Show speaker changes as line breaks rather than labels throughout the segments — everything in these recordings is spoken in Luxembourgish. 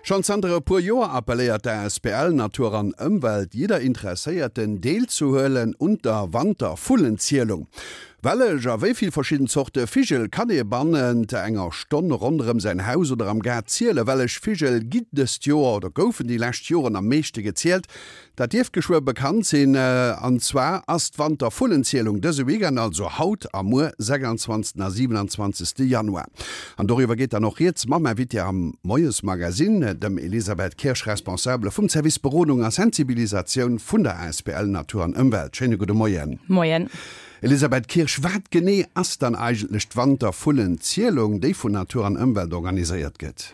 Schonn zanter e puer Joer appelléiert d'ASBL Natur an Ëmwelt jidder Interesséierten deelzehuelen un der Wantervullenzielung. Wellech a wéi vill verschidden Zorte Vigel kann ee bannent enger Stonn ronderëm säin Haus oder am Gaart zielen? Wellech Vigel ginn dëst Joer oder goufen déi lescht Joren am meeschte gezielt? Dat dierft geschwë bekannt sinn. An zwar ass d'Wantervullenzielung dëse Weekend, also haut a muer, 26 a 27 Januar. An doriwwer geet dann och rieds mam Invité am Moiesmagazine, dem Elisabeth Kirsch, Responsabele vum Service Berodung a Sensibilisatioun vun der asbl Natur an Ëmwelt. Schéine gudde Moien.
Moien.
Elisabeth Kirsch, wat genee ass dann eigentlech d'Wantervullenzielung, déi vun Natur an Ëmwelt organiséiert gëtt?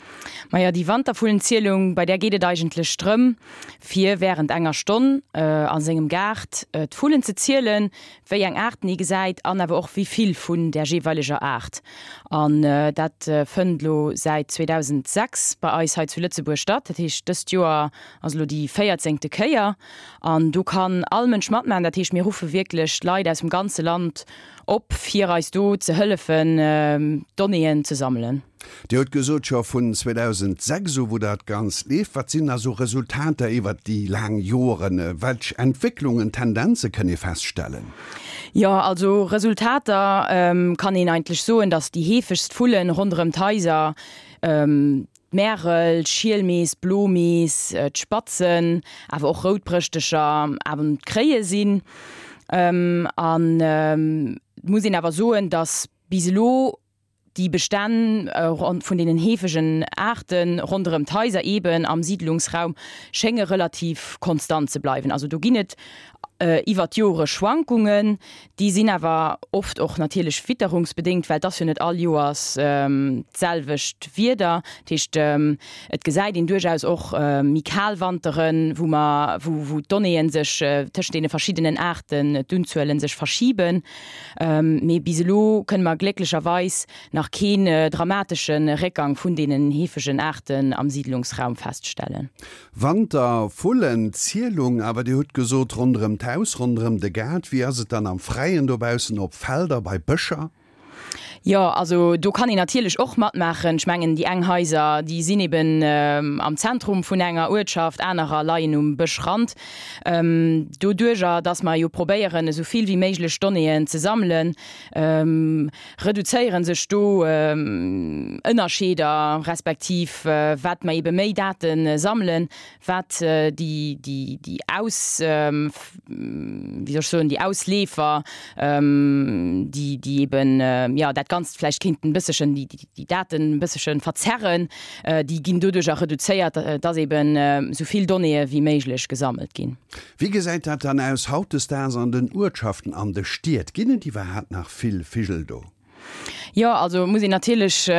Majo, déi Wantervullenzielung, bei där geet et eigentlech drëm, fir wärend enger Stonn a sengem Gaart d'Vullen ze zielen, wéi eng Aarten ee gesäit an awer och wéi vill vun där jeeweileger Aart. An dat fënnt elo säit 2006 bei eis hei zu Lëtzebuerg statt. Dat heescht, dëst Joer ass elo déi véierzéngte Kéier. An do kann all Mënsch matmaachen. Dat heescht, mir ruffe wierklech d'Leit aus dem ganze Land op, fir eis do ze hëllefen, Donnéeën ze sammelen.
Dir hutt gesot, scho vun 2006 u wou dat Ganzt leeft. Wat sinn da sou Resultater iwwert déi laang Joren? Welch Entwécklungen, Tendenze kënn ee feststellen?
Jo, also Resultater kann een eigentlech soen, datt déi heefegst Vullen ronderëm d'Haiser d'Märel, d'Schielmees, d'Blomees, d'Spatzen, awer och Routbrëschtecher an d'Kréie sinn. An et muss een awer soen, datt bis elo Déi Bestänn vun deenen heefegen Aarte ronderëm d'Haiser, eeben am Siidlungsraum, schénge relativ konstant ze bleiwen. Also do ginn et iwwer d'Jore Schwankungen, déi sinn awer oft och natierlech witterungsbedéngt, well et ass jo net all Joers d'selwecht Wieder. Dat heescht, et gesäit een duerchaus och méi kal Wanteren, wou mer, wou d'Donnéeën sech tëschent deene verschiddenen Aarten, d'Unzuelen sech verschiben. Mee bis elo kënne mer glécklecherweis nach keen dramatesche Réckgang vun deenen heefegen Aarten am Siidlungsraum feststellen.
Wantervullenzielung, awer Dir hutt gesot ronderëm d'Haus, ronderëm de Gaart. Wéi ass et dann am Fräien dobaussen, op Felder, bei Bëscher?
Jo, also do kann een natierlech och matmaachen. Ech mengen, déi eng Haiser, déi sinn eben am Zentrum vun enger Uertschaft, anerer leien um Bëschrand. Doduerjer, dass mer jo probéieren, esou vill wéi méiglech Donnéeën ze sammelen, reduzéiere sech do Ënnerscheeder, respektiv wat mer ebe méi Date sammelen, wat déi Aus, wéi soll ech soen, déi Ausleefer, déi, déi eben, jo, dat Ganzt vläicht kéinten e bësselchen, déi Daten e bësselche verzerren, déi ginn doduercher reduzéiert, dass eben esou vill Donnéeë wéi méiglech gesammelt ginn.
Wéi gesäit dat dann aus hautdesdaags an den Uertschaften, an de Stied? Ginn et iwwerhaapt nach vill Vigel do?
Jo, also muss een natierlech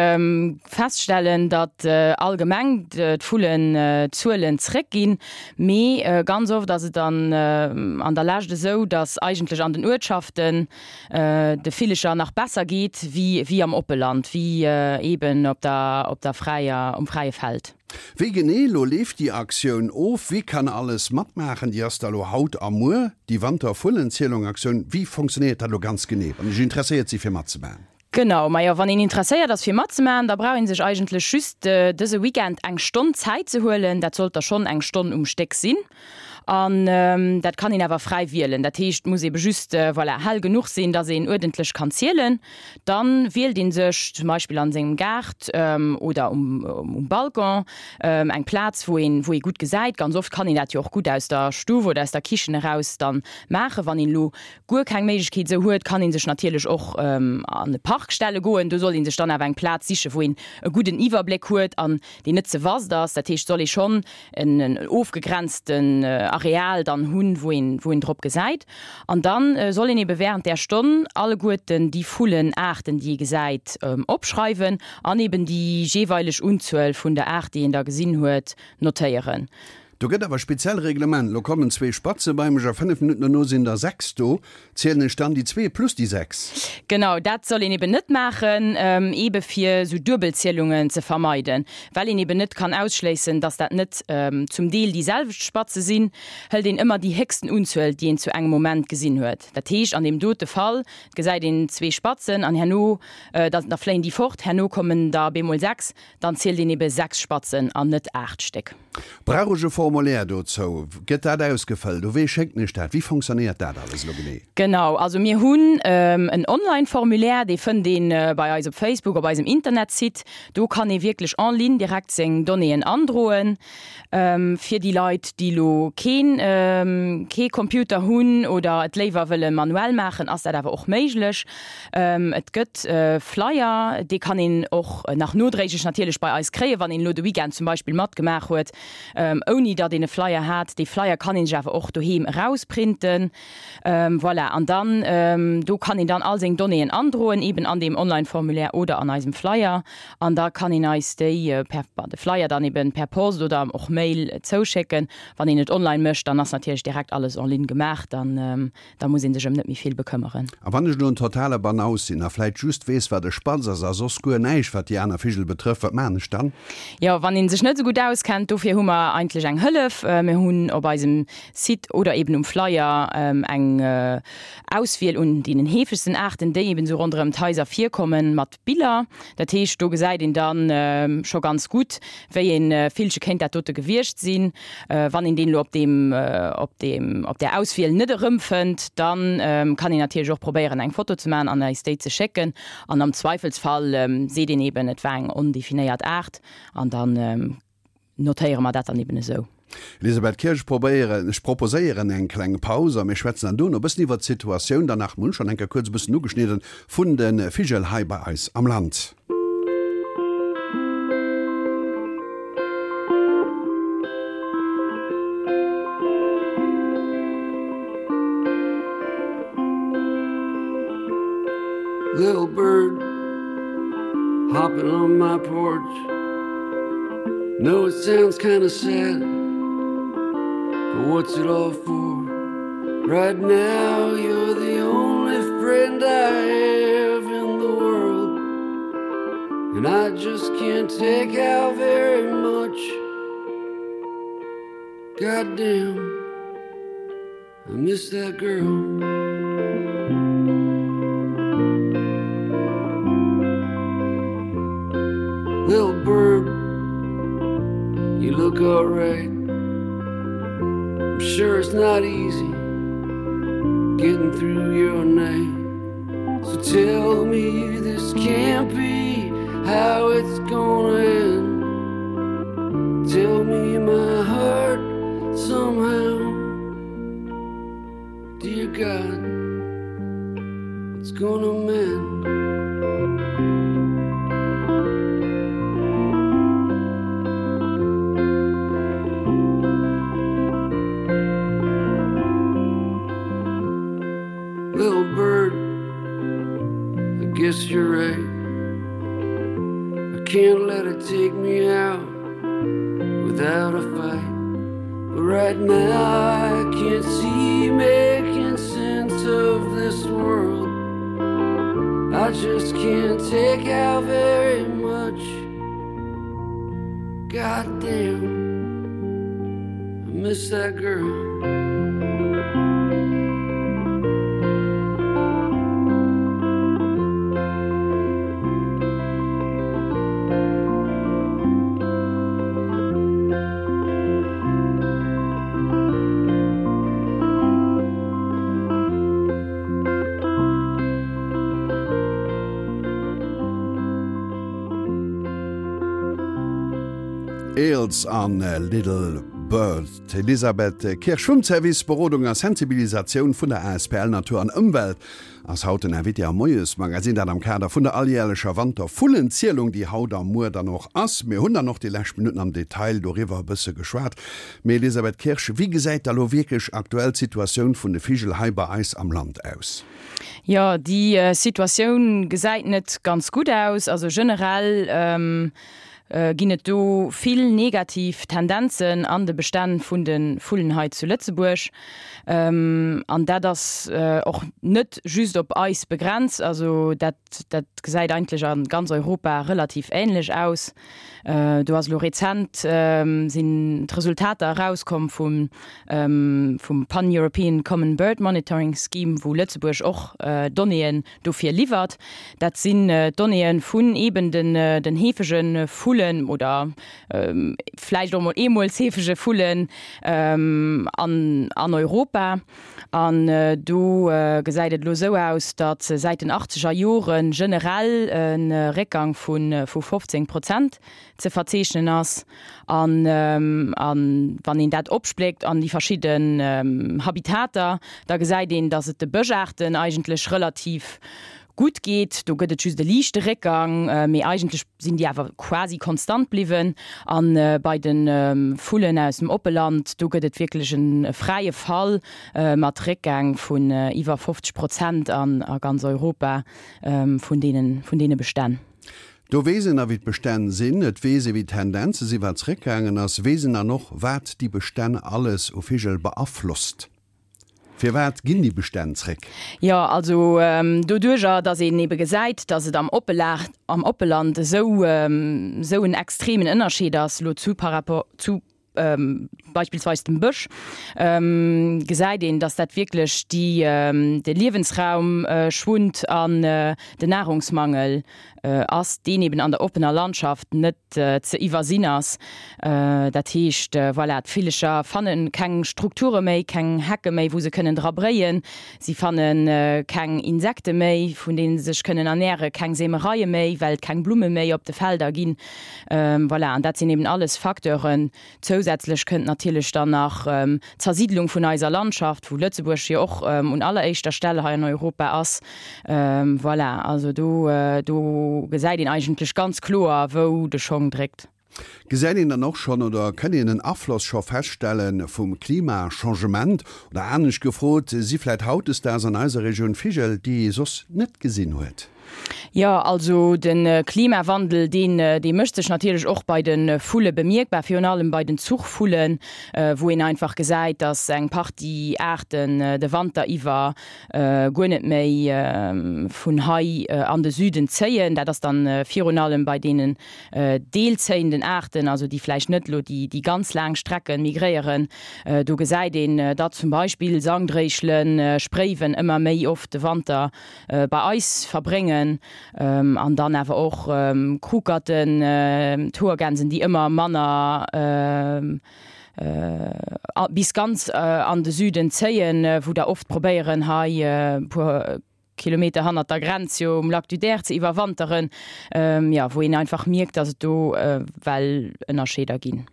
feststellen, datt allgemeng d'Vullenzuelen zréckginn. Mee ganz oft ass et dann an der Lescht esou, datt eigentlech an den Uertschaften de Villecher nach besser geet wéi am Oppeland, wéi eeben op der fräier, um fräie Feld.
Wéi genee elo leeft déi Aktioun of? Wie kann alles matmaachen? Déi ass da elo haut a muer, déi Wantervullenzielung-Aktioun. Wéi fonctionnéiert dat elo ganz genee, wann ech interesséiert si fir matzemaachen?
Genau, majo wann een interesséiert ass fir matzemaachen, da brauch een sech eigentlech just dëse Weekend eng Stonn Zäit ze huelen. Dat sollt da schonn eng Stonn um Stéck sinn an dat kann een awer fräi wielen. Dat heescht, et muss ebe just, voilà, hell genuch sinn, dass een uerdentlech kann zielen. Dann wielt een sech zum Beispill an sengem Gaart oder um Balcon eng Plaz wou een wou ee gutt gesäit. Ganz oft kann een dat jo och gutt aus der Stuff oder aus der Kichen eraus dann maachen. Wann een elo guer keng Méiglechkeet esou huet, kann een sech natierlech och an e Park stelle goen. Do soll een sech dann awer eng Plaz sichen wou een e gudden Iwwerbléck huet an deen net ze vast ass. Dat heescht soll ee schonn en ofgegrenzten Areal dann hunn, wou een, wou een drop gesäit. An dann soll een ebe während där Stonn alleguerten déi Vullenaarten, déi ee gesäit, opschreiwen an eben déi jeeweileg Unzuel vun der Aart, déi een da gesinn huet, notéieren.
Do gëtt awer speziell Reglement. Lo kommen zwee Spatze bei mech a 5 Minutten dono sinn der 6 do. Zielen ech dann déi zwee plus déi 6?
Genau, dat soll een eben net maachen, ebe fir esou Duebelzielungen ze vermeiden. Well een eben net kann ausschléissen, dass dat net zum Deel déi selwecht Spatze sinn, hëlt een ëmmer déi héchsten Unzuel, déi een zu engem Moment gesinn huet. Dat heescht, an deem dote Fall gesäit een zwee Spatzen an herno, da fléien déi fort, herno kommen der bemol 6, Dann zielt een ebe 6 Spatzen an net 8 Stéck.
Brauch ech e Formulaire dozou? Gëtt dat ausgefëllt? U wee schécken ech dat? Wéi fonctionnéiert dat alles elo genee?
Genau, also mir hunn en Online-Formulaire, dee fënnt ee bei eis op Facebook, op eisem Internetsite. Do kann ee wierklech en ligne direkt seng Donnéeën androen. Fir déi Leit, déi elo keen kee Computer hunn oder et léiwer wëlle manuell maachen, ass dat awer och méiglech. Et gëtt Flyer, dee kann een och nach nodréiglech natierlech bei eis kréien, wann een elo de Weekend zum Beispill matgemaach huet, ouni datt een e Flyer hat. Dee Flyer kann een sech awer och doheem erausprinten. Voilà, an dann do kann een dann all seng Donnéeën androen, eben an deem Online-Formulaire oder an eisem Flyer. An da kann een eis déi per, de Flyer dann eben per Post oder och Mail zouschécken. Wann een et online mécht, dann ass natierlech direkt alles en ligne gemaach, dann da muss ee sech ëm net méi vill bekëmmeren.
A wann ech elo en totale Banaus sinn a vläit just weess, wat e Spatz ass a soss guer näischt, wat déi aner Vigel betrëfft, wat maachen ech dann?
Jo, wann ee sech net esou gutt auskennt, dofir hu mer eigentlech eng Hëllef. Mir hunn op eisem Site oder eben um Flyer eng Auswiel un deenen heefegsten Aarten, déi eben esou ronderëm d'Haiser virkommen, mat Biller. Dat heescht, do gesäit een da scho ganz gutt, wéi ee Villche kéint dat dote gewiescht sinn. Wann een deen elo op deem, op deem, op där Auswiel net erëmfënnt, da kann een natierlech och probéieren, eng Foto ze maachen an eis déi ze schécken. An am Zweifelsfall seet een eben, et war eng ondefinéiert Aart an da Notéiere mer dat dann eben esou.
Elisabeth Kirsch, Probéieren, ech proposéieren eng kleng Paus a mir schwätzen dann duerno e bëssen iwwert d'Situatioun dann nach, mir hunn schonn eng Kéier kuerz e bëssen ugeschnidden, vun de Vigel hei bei eis am Land.
Little bird hopping on my porch. Know it sounds kinda sad, but what's it all for? Right now you're the only friend I have in the world, and I just can't take out very much. Goddamn, I miss that girl. Little bird, you look alright. I'm sure it's not easy getting through your night. So tell me this can't be how it's gonna end. Tell me my heart somehow. Dear God, it's gonna mend. Little bird, I guess you're right. I can't let it take me out without a fight. But right now I can't see making sense of this world. I just can't take out very much. God damn, I miss that girl.
Eels an Little Bird. D'Elisabeth Kirsch vum Service Berodung a Sensibilisatioun vun der asbl Natur an Ëmwelt ass haut den Invité am Moiesmagazin, dat am Kader vun der alljärlecher Wantervullenzielung, déi haut a muer dann och ass. Mir hunn dann och déi lescht Minutten am Detail doriwwer e bësse geschwat. Mee Elisabeth Kirsch, wéi gesäit da lo wierklech aktuell d'Situatioun vun de Vigel hei bei eis am Land aus?
Jo, déi Situatioun gesäit net ganz gutt aus. Also generell. ginn et do vill negativ Tendenzen an de Bestänn vun de Vullen hei zu Lëtzebuerg. An dat ass och net just op eis begrenzt, also dat dat gesäit eigentlech a ganz Europa relativ änlech aus. Do ass elo rezent sinn d'Resultater erauskomm vum vum Pan-European Common Bird Monitoring Scheme, wou Lëtzebuerg och Donnéeën dofir liwwert. Dat sinn d'Donnéeë vun eeben den heefege Vullen oder vläicht och mol eemools heefege Vullen an Europa. An do gesäit et elo esou aus, datt säit den achtzeger Jore generell e Réckgang vu 15 Prozent ze verzeechnen ass. An wann een dat opspléckt an déi verschidden Habitater, da gesäit een, datt et de Bëschaarten eigentlech relativ gutt geet. Do gëtt et just e liichte Réckgang, mee eigentlech sinn déi awer quasi konstant bliwwen. A bei de Vullen aus dem Oppeland, do gëtt et wierklech e fräie Fall mat Réckgäng vun iwwer 50 Prozent a ganz Europa vun deene Bestänn.
Do weess een a wéi d'Bestänn sinn, et weess ee wéi d'Tendenze sinn, wat zréckgaangen ass, weess een dann och, wat déi Bestänn alles u Vigel beaflosst. Firwat ginn déi Bestänn zréck?
Jo, also doduerjer, datt een ebe gesäit, datt et am am Oppeland esou esou en extremen Ënnerscheed ass elo zu par rapport zu beispillsweis dem Bësch, gesäit een, dass dat wierklech déi, de Liewensraum schwunnt an den Nahrungsmangel ass, deen eben an der oppener Landschaft net ze iwwersinn ass. Dat heescht, voilà, d'Villecher fanne keng Strukture méi, keng Hecke méi, wou se kënnen dra bréien. Si fanne keng Insekte méi, vun deene se sech kënnen ernären, keng Seemereie méi, well et keng Blumme méi op de Felder ginn. Voilà, an dat sinn eben alles Facteuren. Zousätzlech kënnt natierlech dann nach d'Zersiidlung vun eiser Landschaft, wou Lëtzebuerg jo och un alleréischter Stell hei an Europa ass. Voilà, also do, do gesäit een eigentlech ganz kloer, wou de Schong dréckt.
Gesäit een dann och schonn oder kënn een en Afloss scho feststelle vum Klimachangement? Oder anescht gefrot, si vläit hautdesdaags an eiser Regioun Vigel, déi ee soss net gesinn huet?
Jo, also de Klimawandel, deen, dee mécht sech natierlech och bei de Vulle bemierkbar, virun allem bei den Zuchvullen, wou een einfach gesäit, datt eng Partie Aarten de Wanter iwwer guer net méi vun hei an de Süden zéien. Dat ass dann virun allem bei deenen deelzéienden Aarten, also déi vläicht net elo déi ganz laang Strecke migréieren. Do gesäit een, datt zum Beispill Sangdréischelen, Spréiwen ëmmer méi oft de Wanter bei eis verbréngen an dann awer och Krukerten, d'Hoergänsen, déi ëmmer manner bis ganz an de Süden zéien, wou der oft probéieren hei e puer Kilometer hannert der Grenz jo um Lac du Der ze iwwerwanteren, jo wou een einfach mierkt, datt et do well Ënnerscheeder ginn.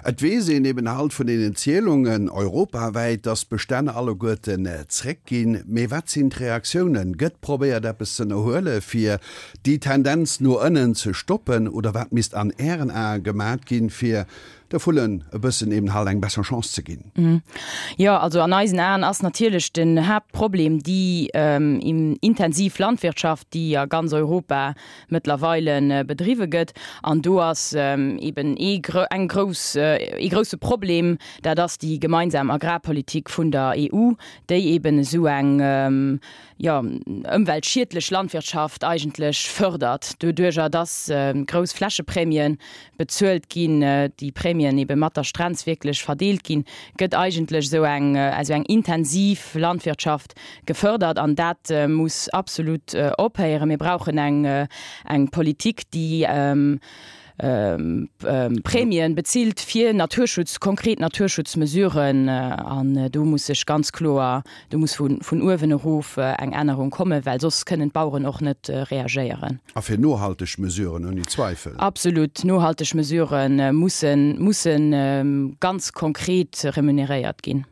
Et weess een eben halt vun deenen Zielungen europawäit, dass d'Bestänn alleguerten zréckginn. Mee wat sinn d'Reaktiounen? Gëtt probéiert eppes z'ënnerhuele fir déi Tendenz no ënnen ze stoppen? Oder wat misst an Ären Ae gemat ginn, fir de Vullen e bëssen eben halt eng besser Chance ze ginn?
Jo, also an eisen Aen ass natierlech den Haaptproblem déi intensiv Landwirtschaft, déi a ganz Europa mëttlerweile bedriwwe gëtt. An do ass eben ee eng grouss, ee grousse Problem, dat ass déi gemeinsam Agrarpolitik vun der EU, déi eben esou eng, jo, ëmweltschiedlech Landwirtschaft eigentlech fërdert, doduerjer dass grouss Flächeprämie bezuelt ginn, déi Prämien ebe mat der Strenz wierklech verdeelt ginn, gëtt eigentlech esou eng, esou eng intensiv Landwirtschaft gefërdert an dat muss absolut ophéieren. Mir brauchen eng, eng Politik, déi Prämien bezilt fir Naturschutz, konkret Naturschutzmesuren an do muss sech ganz kloer, do muss vun uewen erof eng Ännerung kommen, well soss kënnen d'Baueren och net reagéieren.
A fir nohalteg Mesuren, ouni Zweifel.
Absolut, nohalteg Mesurë mussen, mussen ganz konkret remuneréiert ginn.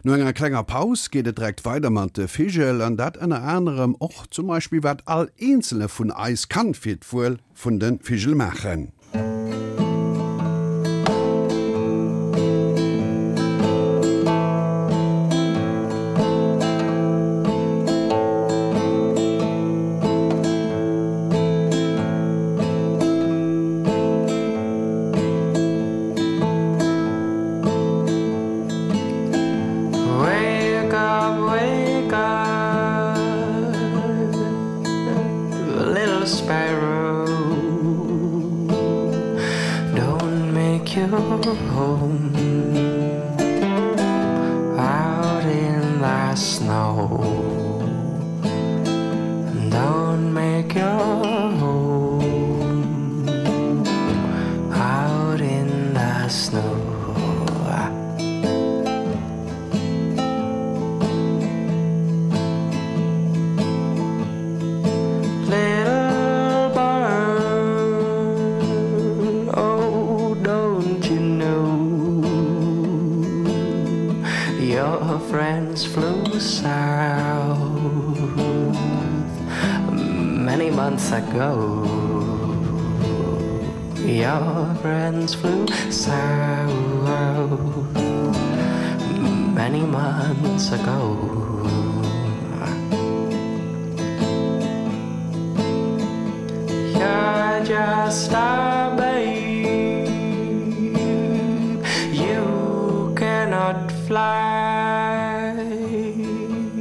No enger klenger Paus geet et direkt weider mat de Vigel, an dat ënner anerem och zum Beispill wat all eenzele vun eis kann fir d'Wuel vun de Vigel maachen.
Little sparrow, don't make your home out in the snow. Don't make your home out in the snow. Little bird, oh, don't you know your friends flew south many months ago? Your friends flew south many months ago. You're just a babe, you cannot fly,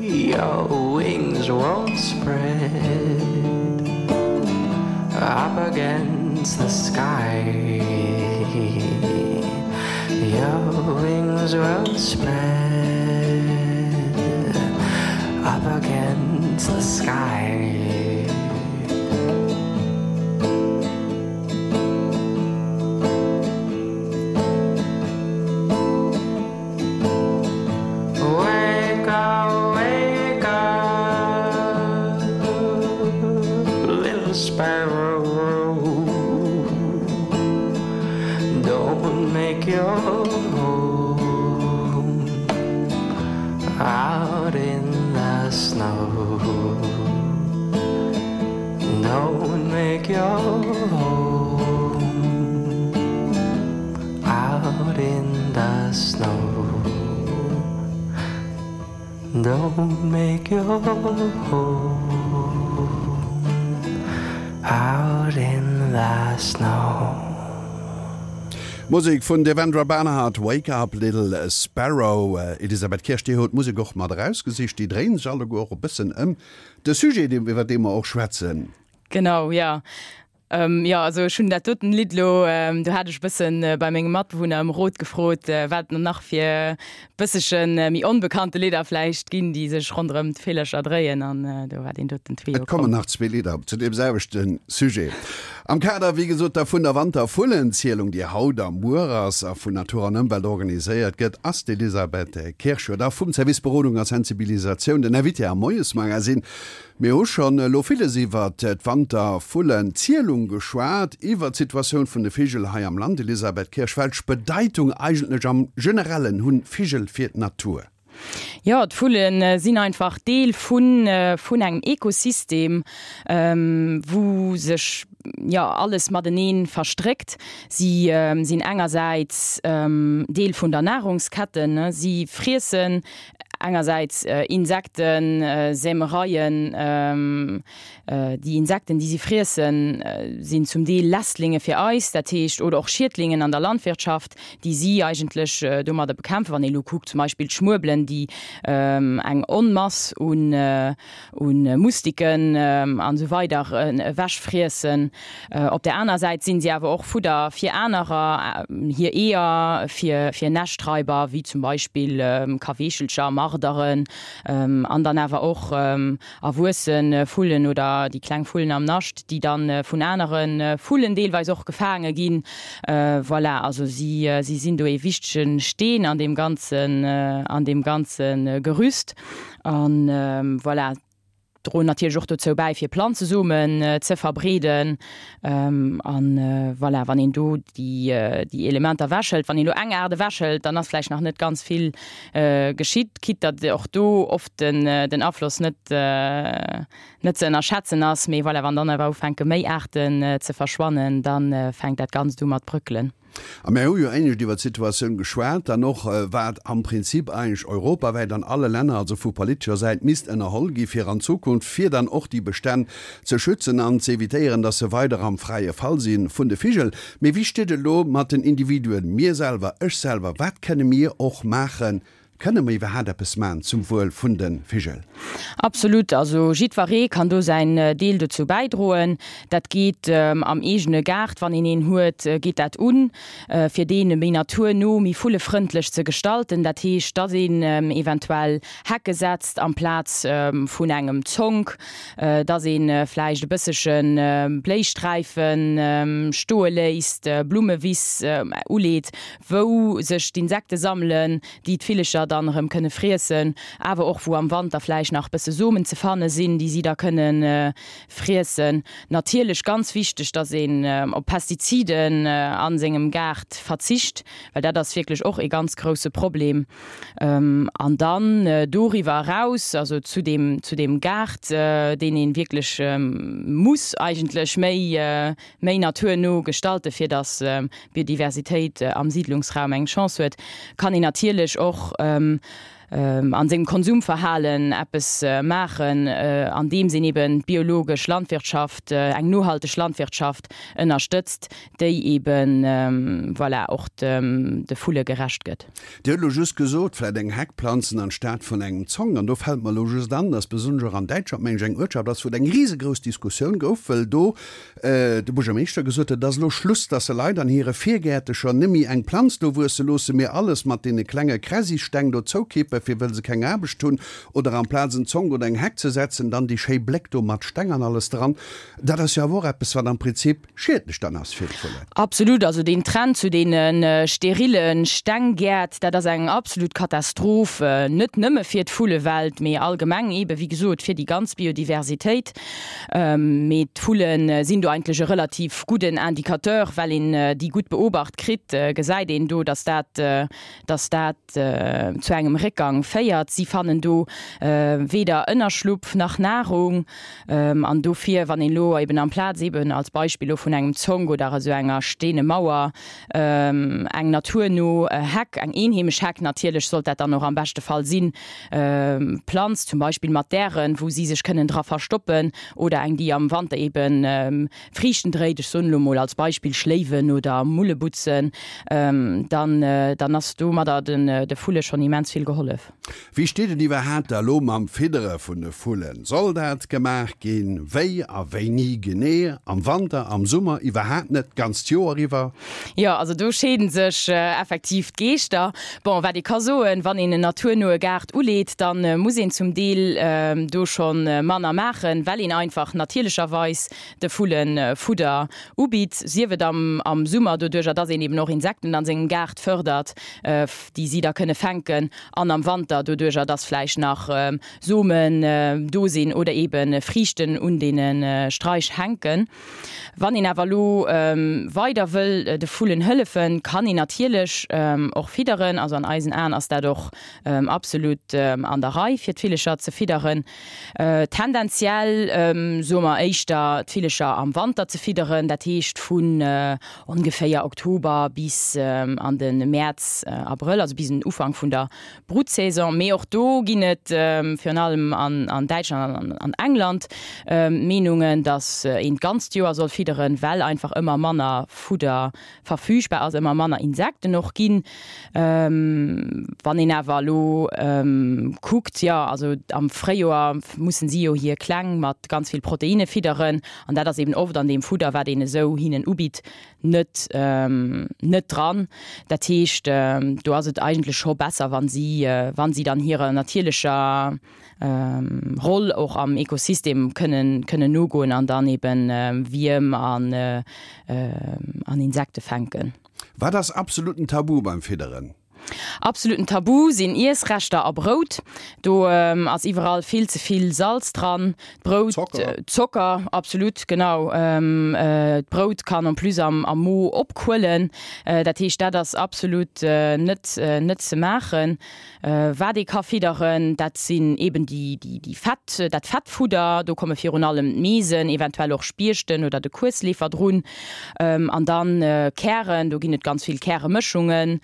your wings won't spread up against the sky. Your wings won't spread up against the sky. Wake up, wake up, little sparrow, don't make your home out in the snow. Don't make your home out in the snow. Don't make your home out in the snow.
Musek vun Devendra Banhart, Wake Up Little Sparrow. Elisabeth Kirsch, Dir hutt d'Musek och mat erausgesicht. Déi dréinen sech alleguer och e bëssen ëm de Sujet, iwwer dee mer och schwätzen.
Genau, jo. Jo, also ech hunn dat doten Lidd elo, do hat ech e bëssen bei mengem Matbewunner ëm Rot gefrot, wat et nach fir bëssege méi onbekannte Lidder vläicht ginn, déi sech ronderëm d'Villercher dréien, an do war deen doten
Trio komm. Et kommen nach zwee Lidder zu deem selwechte Sujet. Am Kader, wéi gesot, da vun der Wantervullenzielung, déi haut a muer ass a vun Natur an Ëmwelt organiséiert gëtt, ass d'Elisabeth Kirsch jo da vum Service Berodung a Sensibilisatioun den Invité am Moiesmagazin. Mir hu schonn elo villes iwwert d'Wantervullenzielung geschwat, iwwert d'Situatioun vun de Vigel hei am Land. Elisabeth Kirsch, welch Bedeitung eigentlech am Generellen hunn Vigel fir d'Natur?
Jo, d'Vulle sinn einfach Deel vun vun engem Ekosystem, wou sech jo alles matenee verstréckt. Si sinn engersäits Deel vun der Nahrungsketten, si friessen Engersäits Insekten, Sämereien, déi Insekten, déi si friessen, sinn zum Deel Lästlinge fir eis, dat heescht, oder och Schiedlingen an der Landwirtschaft, déi si eigentlech domadder bekämpfen. Wann ee elo kuckt, zum Beispill d'Schmuebelen, déi eng Onmass u Mustiken an esou weider ewechfriessen. Op der aner Säit sinn si awer och Fudder fir anerer, hir Eeër, fir Näschtraiber, wéi zum Beispill Kaweechelcher, Marderen, an dann awer och erwuesse Vullen oder déi kleng Vullen am Nascht, déi da vun anere Vullen deelweis och gefaange ginn. Voilà, also si sinn do ee wichtege Steen an deem ganzen, an deem ganze Gerüst. An voilà. Droen natierlech och dozou bäi fir Planzesomen ze verbreeden. An voilà, wann een do déi déi Elementer ewechhëlt, wann een elo eng Aart ewechhëlt, dann ass vläicht nach net ganz vill geschitt, quitte datt och do oft den den Afloss net net ze ënnerschätzen ass. Mee voilà, wann dann awer ufänke méi Aarten ze verschwannen, da fänkt dat Ganzt u mat bröckelen.
A mir hu jo éinescht iwwert d'Situatioun geschwat, dann och, wat am Prinzip eigentlech europawäit an alle Länner, also vu politescher Säit, misst ënnerholl gi fir an Zukunft, fir dann och déi Bestänn ze schützen an ze évitéieren, dass se weider am fräie Fall si vun de Vigel. Mee wéi steet et elo mat den Individuen, mir selwer, ech selwer, wat kënne mir och maachen? Kënne mer iwwerhaat eppes maan zum Wuel vun de Vigel?
Absolut, also jiddweree kann do säin Deel dozou bäidroen. Dat geet am eegene Gaart, wann een een huet, geet dat un, fir deen méi naturno, méi vullefrëndlech ze gestalten. Dat heescht, datt een eventuell Hecke setzt amplaz vun engem Zonk, datt ee vläicht e bëssege Bléisträife stoe léisst, Blummewiss uleet, wou sech d'Insekte sammelen, déi d'Villecher dann erëm kënne friessen, awer och wou am Wanter vläicht nach bësse Somen ze fanne sinn, déi si da kënne friessen. Natierlech ganz wichteg, dass een op Pestiziden a sengem Gaart verzicht, well dat ass wierklech och ee ganz grousse Problem. An dann doriwwer eraus, also zu deem, zu deem Gaart, deen ee wierklech muss eigentlech méi, méi naturno gestalte fir datt d'Biodiversitéit am Siidlungsraum eng Chance huet, kann een natierlech och an sengem Konsumverhalen eppes maachen, andeems een eben d'biologesch Landwirtschaft, eng nohalteg Landwirtschaft ënnerstëtzt, déi eben, voilà, och de Vulle gerecht gëtt.
Dir hutt elo just gesot, vläit eng Heck planzen anstatt vun engem Zonk. An do fält mer elo just an, dass besonnesch och an Däitschland, meng ech, eng Uertschaft ass, wou et eng risegrouss Diskussioun gouf, wëll do de Buergermeeschter gesot huet, et ass elo Schluss, dass se Leit an hire Virgäertecher nëmme eng Planz do wuesse loosse, mee alles mat deene klenge Kräsisteng do zoukippen, fir wëll se keng Aarbecht hunn, oder amplaz en Zonk oder eng Heck ze setzen, dann déi schéi Bléck do mat Steng an alles dran. Dat ass jo awer och eppes, wat am Prinzip schiedlech dann ass fir d'Vullen.
Absolut, also deen Trend zu deene sterile Stenggäert, dat ass eng absolut Katastroph, net nëmme fir d'Vullewelt, mee allgemeng eebe wéi gesot fir déi ganz Biodiversitéit. Mee d'Vulle sinn do eigentlech e relativ gudden Indicateur, well een déi gutt beobacht kritt, gesäit een do, datt dat, datt dat zu engem Réckgang féiert. Si fannen do weder Ënnerschlupf nach Nahrung. An dofir, wann een elo eben amplaz eben als Beispill elo vun engem Zonk oder esou enger steene Mauer eng naturno Heck, eng eenheemesch Heck natierlech sollt dat dann och am beschte Fall sinn, planzt, zum Beispill mat Dären, wou si sech kënnen dra verstoppen, oder eng, déi am Wanter eben Friichten dréit, ech soen elo mol als Beispill Schléiwen oder Mullebutzen, dann dann ass domadder de Vulle schonn immens vill gehollef.
Wéi steet et iwwerhaapt da lo mam Fiddere vun de Vullen? Soll dat gemaach ginn? Wéi a wéini genee? Am Wanter, am Summer, iwwerhaapt net, d'ganzt Joer iwwer?
Jo, also do scheeden sech effektiv d'Geeschter. Bon, wat ee ka soen, wann een en naturnoe Gaart uleet, da muss een zum Deel do scho manner maachen, well een einfach natierlecherweis de Vulle Fudder ubitt, sief et am Summer doduercher, dass een eben och Insekten an sengem Gaart fërdert, déi si da kënne fänken, an am Wanter doduercher, dass vläicht nach Somen do sinn oder eebe Friichten un deene Straich hänken. Wann een awer elo weider wëll de Vullen hëllefen, kann een natierlech och fidderen. Also an eisen Aen ass dat och absolut an der Rei, fir d'Villecher ze fidderen. Tendenziell soe mer éischter, d'Villecher am Wanter ze fidderen, dat heescht vun ongeféier Oktober bis an de Mäerz, Abrëll, also bis den Ufank vun der Brutsaison. Mee och do ginn et virun allem an Däitschland an an England Meenungen, datt een d'ganzt Joer soll fidderen, well einfach ëmmer manner Fudder verfügbar ass, ëmmer manner Insekten och ginn. Wann een awer elo kuckt, jo also am Fréijoer mussen si jo hir Kleng mat ganz vill Proteinne fidderen an dat ass eben oft an deem Fudder, wat een esou hinnen ubitt, net net dran. Dat heescht, do ass et eigentlech scho besser, wa si wa si dann hirer natierlecher Roll och am Ekosystem kënnen kënnen nogoen an dann eben Wierm an an Insekte fänken.
Wat ass absoluten Tabu beim Fidderen?
Absoluten Tabu sinn Iessreschter a Brout. Do ass iwwerall vill ze vill Salz dran. D'Brout, Zocker. Zocker, absolut, genau. D'Brout kann en plus am am Mo opquëllen. Dat heescht, dat ass absolut net net ze maachen. Wat ee ka fidderen, dat sinn eben déi déi Fett, dat Fettfudder. Do komme virun allem d'Meesen, eventuell och Spiechten oder de Kuesleefer drun. An dann Kären, do ginn et ganz vill Käremëschungen.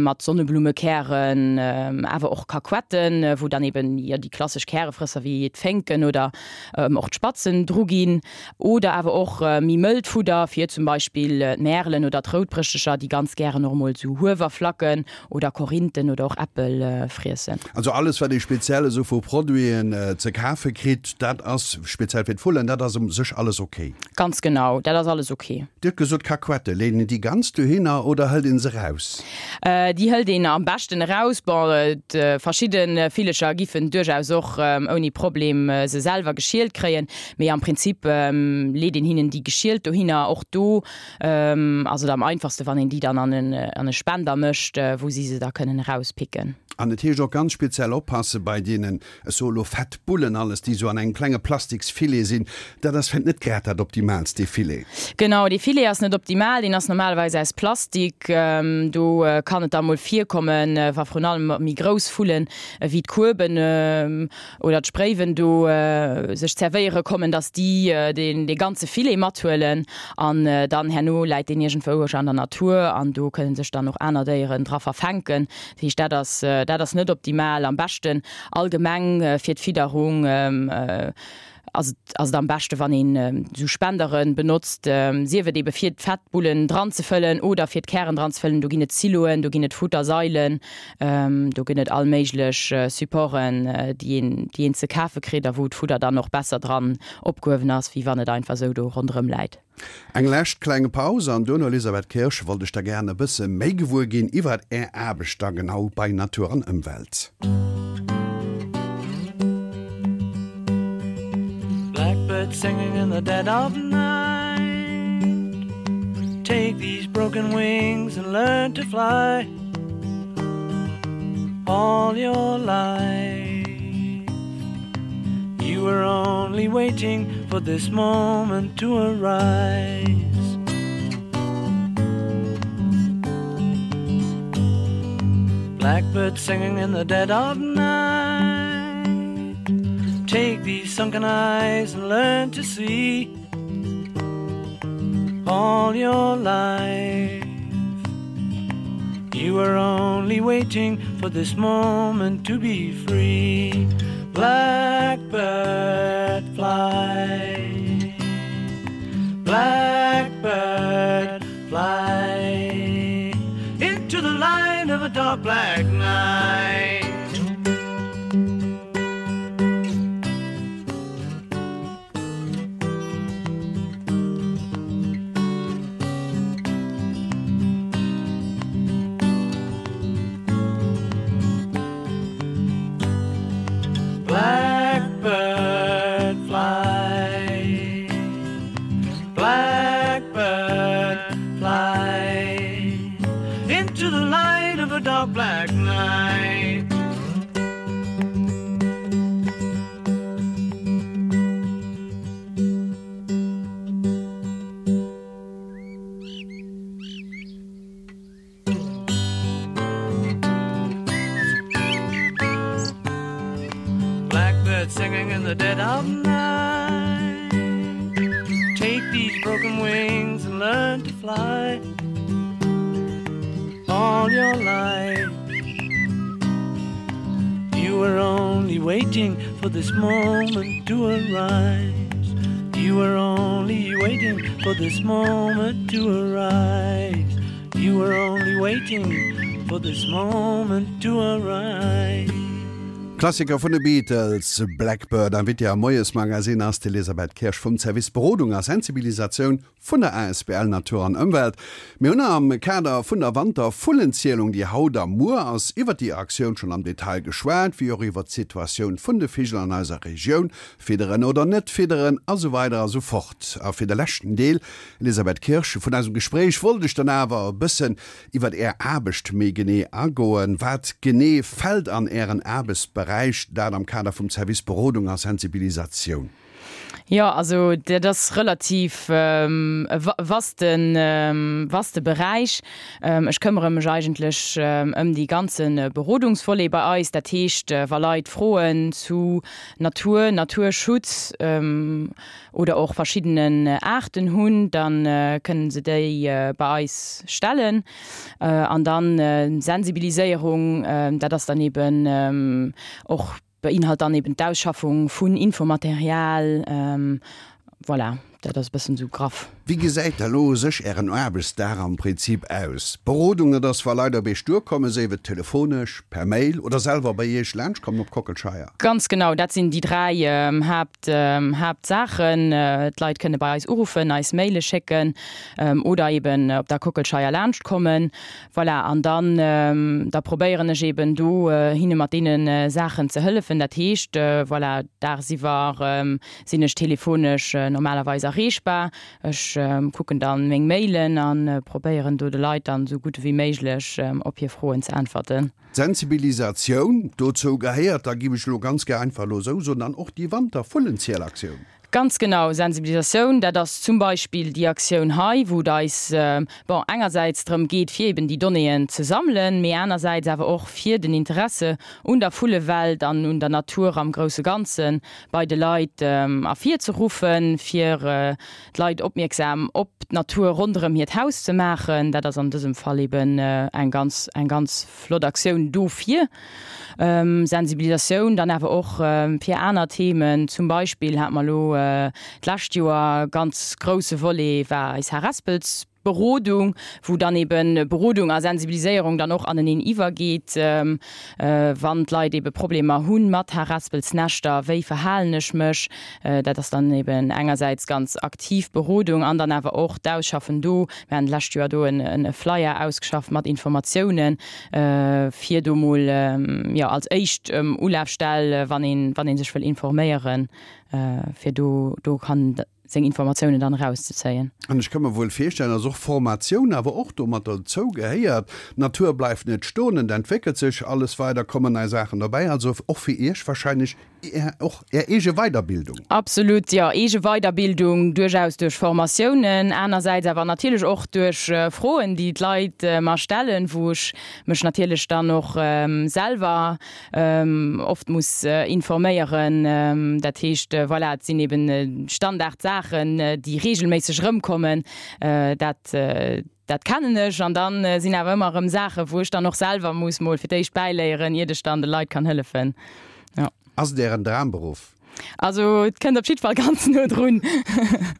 mat Sonneblummekären, awer och Kakuetten, wou dann eben jo déi klassesch Kärefrësser wéi d'Fénken oder och d'Spatzen dru ginn. Oder awer och méi mëllt Fudder fir zum Beispill d'Märelen oder d'Routbrëschtecher, déi ganz gären och emol esou Huewerflacken oder Korinthen oder och Äppel friessen.
Also alles wat ee speziell esou vu Produiten ze kafe kritt, dat ass speziell fir d'Vullen, dat ass u sech alles ok?
Ganz genau, dat ass alles ok.
Dir hutt gesot Kakuette, leet een déi ganz dohinner oder hëlt een se eraus?
Déi hëlt een am beschten eraus. Bon, verschidde Villecher giffen duerchaus och ouni Problem se selwer geschielt kréien, mee am Prinzip leet een hinnen déi geschielt dohinner. Och do Ass et am einfachste wann een déi dann an e Spender mécht, wou si se da kënnen erauspicken.
An et heescht och ganz speziell oppasse bei deenen, ech soe lo fett Bullen, alles déi esou an engem klenge plastiks Filet sinn, dat ass vläicht net grad dat optimaalst, dee Filet.
Genau, dee Filet ass net optimal, deen ass normalerweis aus Plastik. Do kann et da mol virkommen, wa vrun allem méi grouss Vullen ewéi d'Kueben oder d'Spréiwen do sech zerwéiere kommen, dass déi dee ganze Filet mathuelen an dann herno läit deen iergendwou an der Natur an do kënne sech dann och aner Déieren dra verfänken. Dat heescht, dat ass, dat ass net optimal. Am beschten allgemeng fir d'Fidderung ass et, ass et am beschte wann een esou Spendere benotzt, sief et ebe fir d'Fettbullen dran ze fëllen oder fir d'Kären dran ze fëllen. Do ginn et Siloen, do ginn et Futtersailen. Do gëtt et all méiglech Supporten, déi een, déi een ze kafe kritt a wou d'Fudder dann och besser dran opgehuewen ass, wéi wann et einfach esou do ronderëm läit.
Eng lescht kleng Paus an duerno, Elisabeth Kirsch, wollt ech da gären e bësse méi gewuer ginn iwwert Är Aarbecht da genau bei Natur an Ëmwelt.
Blackbird singing in the dead of night Take these broken wings and learn to fly All your life You were only waiting for this moment to arise Blackbird singing in the dead of night Take these sunken eyes and learn to see All your life You were only waiting for this moment to be free Blackbird fly Blackbird fly Into the light of a dark black night Blackbird fly Blackbird fly Into the light of a dark black night Blackbird singing in the dead of night Take these broken wings and learn to fly All your life You were only waiting for this moment to arise You were only waiting for this moment to arise You were only waiting for this moment to arise.
Klassiker vun de Beatles, Blackbird. Invitée am Moiesmagazin ass d'Elisabeth Kirsch vum Service Berodung a Sensibilisatioun vun der asbl Natur an Ëmwelt. Mir hunn am Kader vun der Wantervullenzielung, déi haut a muer ass, iwwer déi Aktioun schonn am Detail geschwat, wéi och iwwer d'Situatioun vun de Vigel an eiser Regioun, fidderen oder net fidderen a sou weider a sou fort. A fir de leschten Deel, Elisabeth Kirsch, vun eisem Gespréich wollt ech dann awer e bëssen iwwer Är Aarbecht méi genee agoen. Wat genee fält an Ären Aarbechtsberäich, dat am Kader vum Service Berodung a Sensibilisatioun?
Jo, also dat ass relativ e vaste, vaste Beräich. Ech këmmere mech eigentlech ëm dee ganze Berodungsvolet bei eis. Dat heescht, wa Leit Froen zu Natur, Naturschutz oder och verschiddenen Aarten hunn, da kënnen se déi bei eis stellen. An dann Sensibiliséierung, dat ass dann eben och Beinhalt dann eben d'Ausschaffung vun Infomaterial. Voilà, dat ass e bëssen esou graff.
Wéi gesäit da lo u sech Ären Aarbechtsdag am Prinzip aus? Berodung, dat ass wa Leit op Iech duerkommen, séif et telefonesch, per Mail oder selwer bei Iech laanscht kommen op Kockelscheier?
Ganz genau, dat sinn déi 3 Haapt, Haaptsaachen. D'Leit kënne bei eis uruffen, eis Maile schécken oder eben op der Kockelscheier laanscht kommen. Voilà, an dann, da probéieren ech eben do hinne mat deene Saachen ze hëllefen. Dat heescht, voilà, dagsiwwer sinn ech telefonesch normalerweis erreechbar. Ech kucken dann meng Mailen a probéieren do de Leit dann esou gutt ewéi méiglech op hir Froen ze äntwerten.
D'Sensibilisatioun, dozou gehéiert, da giff ech elo ganz gär einfach elo esou soen, dann och déi Wantervullenzielaktioun.
Ganz genau, Sensibilisatioun, dat ass zum Beispill déi Aktioun hei, wou et eis, bon, engersäits drëm geet, fir eben déi Donnéeën ze sammelen, mee anersäits awer och fir den Interesse un der Vullewelt an un der Natur am grousse Ganze bei de Leit ervirzeruffen, fir d'Leit opmierksam op d'Natur ronderëm hiert Haus ze maachen. Dat ass an dësem Fall eben eng ganz, eng ganz flott Aktioun dofir. Sensibilisatioun dann awer och fir aner Themen. Zum Beispill hate mer elo d'lescht Joer ganz grousse Volet war eis Harespelsberodung, wou dann ebe Berodung a Sensibiliséierung dann och aneneen iwwergeet, wann d'Leit ebe Problemer hu mat Harespelsnäschter, wéi verhalen ech mech? Dat ass dann eben engersäits ganz aktiv Berodung an dann awer och d'Ausschaffen do. Mir haten d'lescht Joer do e Flyer ausgeschafft mat Informatiounen, fir do mol, jo, als éischt Ulafstell, wann een, wann ee sech wëll informéieren, fir do, do kann seng Informatiounen dann erauszezéien.
An ech ka mer wuel virstellen, dass och Formatioun awer och do mat dozou gehéiert. D'Natur bleift net stoen, et entwéckelt sech alles weider, kommen nei Saachen dobäi, also och fir Iech wahrscheinlech Och Är eege Weiderbildung?
Absolut, jo. Eege Weiderbildung, duerchaus duerch Formatiounen, anersäits awer natierlech och duerch Froen, déi d'Leit mer stellen, wou ech mech natierlech dann och selwer oft muss informéieren. Dat heescht, voilà, et sinn eben Standardsaachen, déi reegelméisseg erëmkommen. Dat, dat kennen ech. An da sinn awer ëmmer erëm Saachen, wou ech dann och selwer muss mol fir d'éischt bäiléieren, iert ech dann de Leit kann hëllefen.
Jo. Ass et Ären Dramberuff?
Also et kënnt op jidd Fall ganz no drun.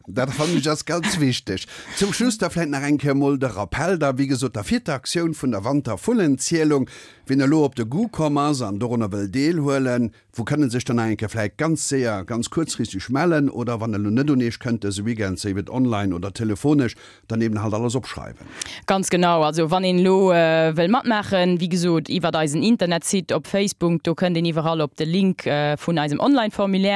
Dat fannen ech ass ganz wichteg. Zum Schluss da vläit nach eng Kéier mol de Rappell da, wéi gesot, der vierter Aktioun vun der Wantervullenzielung. Wien elo op de Goût komm ass an dorunner wëll deelhuelen, wou kënne sech dann nach eng Kéier vläit ganz séier, ganz kuerzfristeg mellen? Oder wann elo net un Iech kënnt dëse Weekend, séif et online oder telefonesch, Dann eben halt alles opschreiwen.
Ganz genau. Also wann een elo wëll matmaachen, wéi gesot iwwert eisen Internetsite, op Facebook, do kënnt een iwwerall op de Link vun eisem Online-Formulaire.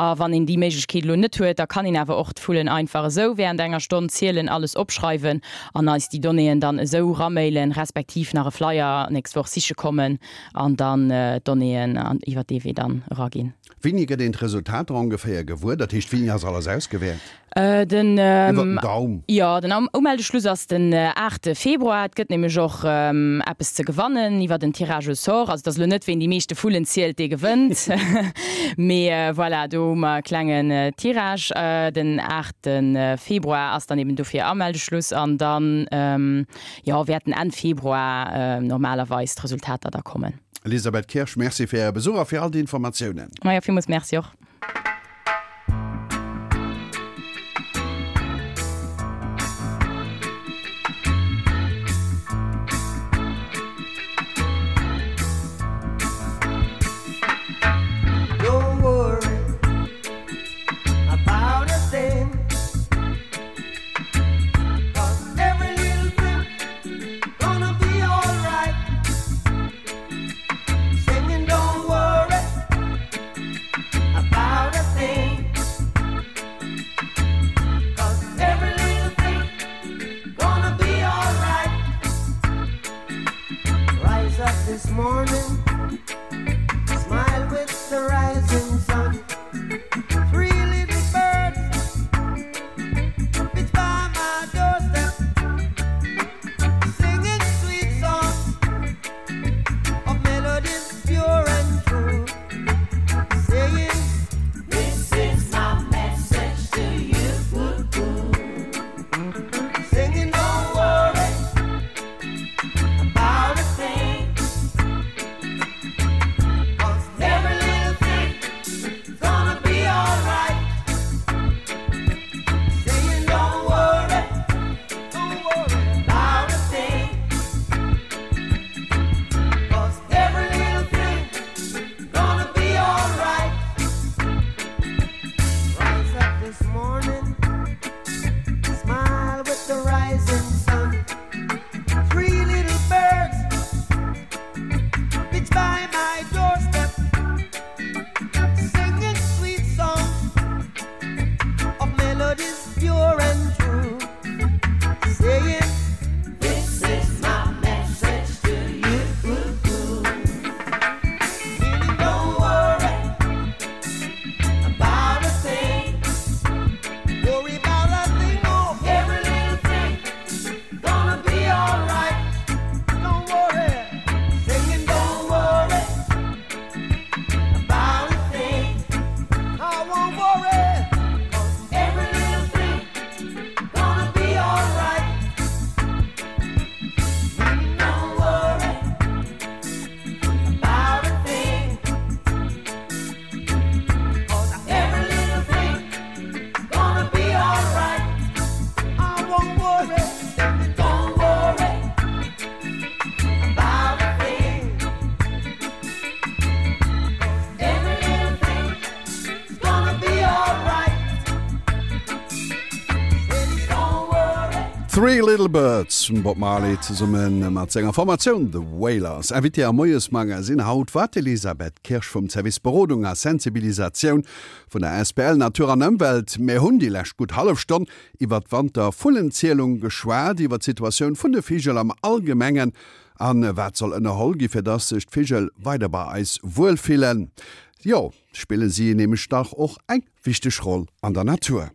A wann een déi Méiglechkeet elo net huet, da kann een awer och d'Vullen einfach esou während enger Stonn zielen, alles opschreiwen an eis déi Donnéeën dann esou ramailen, respektiv nach e Flyer nächst Woch siche kommen an dann d'Donnéeën iwwert dee Wee dann eraginn.
Wéini gëtt een d'Resultater ongeféier gewuer? Dat heescht, wéini ass alles ausgewäert?
Den, Iwwer den Daum. Jo, den Umeldeschluss ass den 8 Februar. Et gëtt nämlech och eppes ze gewannen iwwer den Tirage au sort. Also et ass elo net, ween déi meeschte Vullen zielt, dee gewënnt. Mee voilà, do hu mer e klengen Tirage. Den 8 Februar ass dann eben dofir Ameldeschluss an dann, jo, wäerten Enn Februar normalerweis d'Resultater da kommen.
Elisabeth Kirsch, Merci fir Äre Besuch a fir all déi Informatiounen.
Majo, villmools Merci och.
is pure and true saying this is my message to you Meaning don't worry about a thing Worry about a thing oh every little thing gonna be alright Don't worry singing don't worry about a thing I won't worry 'cause every little thing gonna be alright Don't worry about a thing 'Cause every little thing gonna be alright I won't worry don't worry about a thing 'Cause every little thing gonna be alright Don't worry
Three Little Birds vum Bob Marley zesumme mat senger Formatioun The Wailers. Invité am Moiesmagasinn haut war d'Elisabeth Kirsch vum Service Berodung a Sensibilisatioun vun der Asbl Natur an Ëmwelt. Mir hunn déi lescht gutt hallef Stonn iwwer d'Wantervullenzielung geschwat, iwwer d'Situatioun vun de Vigel am Allgemengen a wat soll ënnerholl gi fir dass sech d'Vigel weider bei eis wuel fillen. Jo, spille si nämlech dach och eng wichteg Roll an der Natur.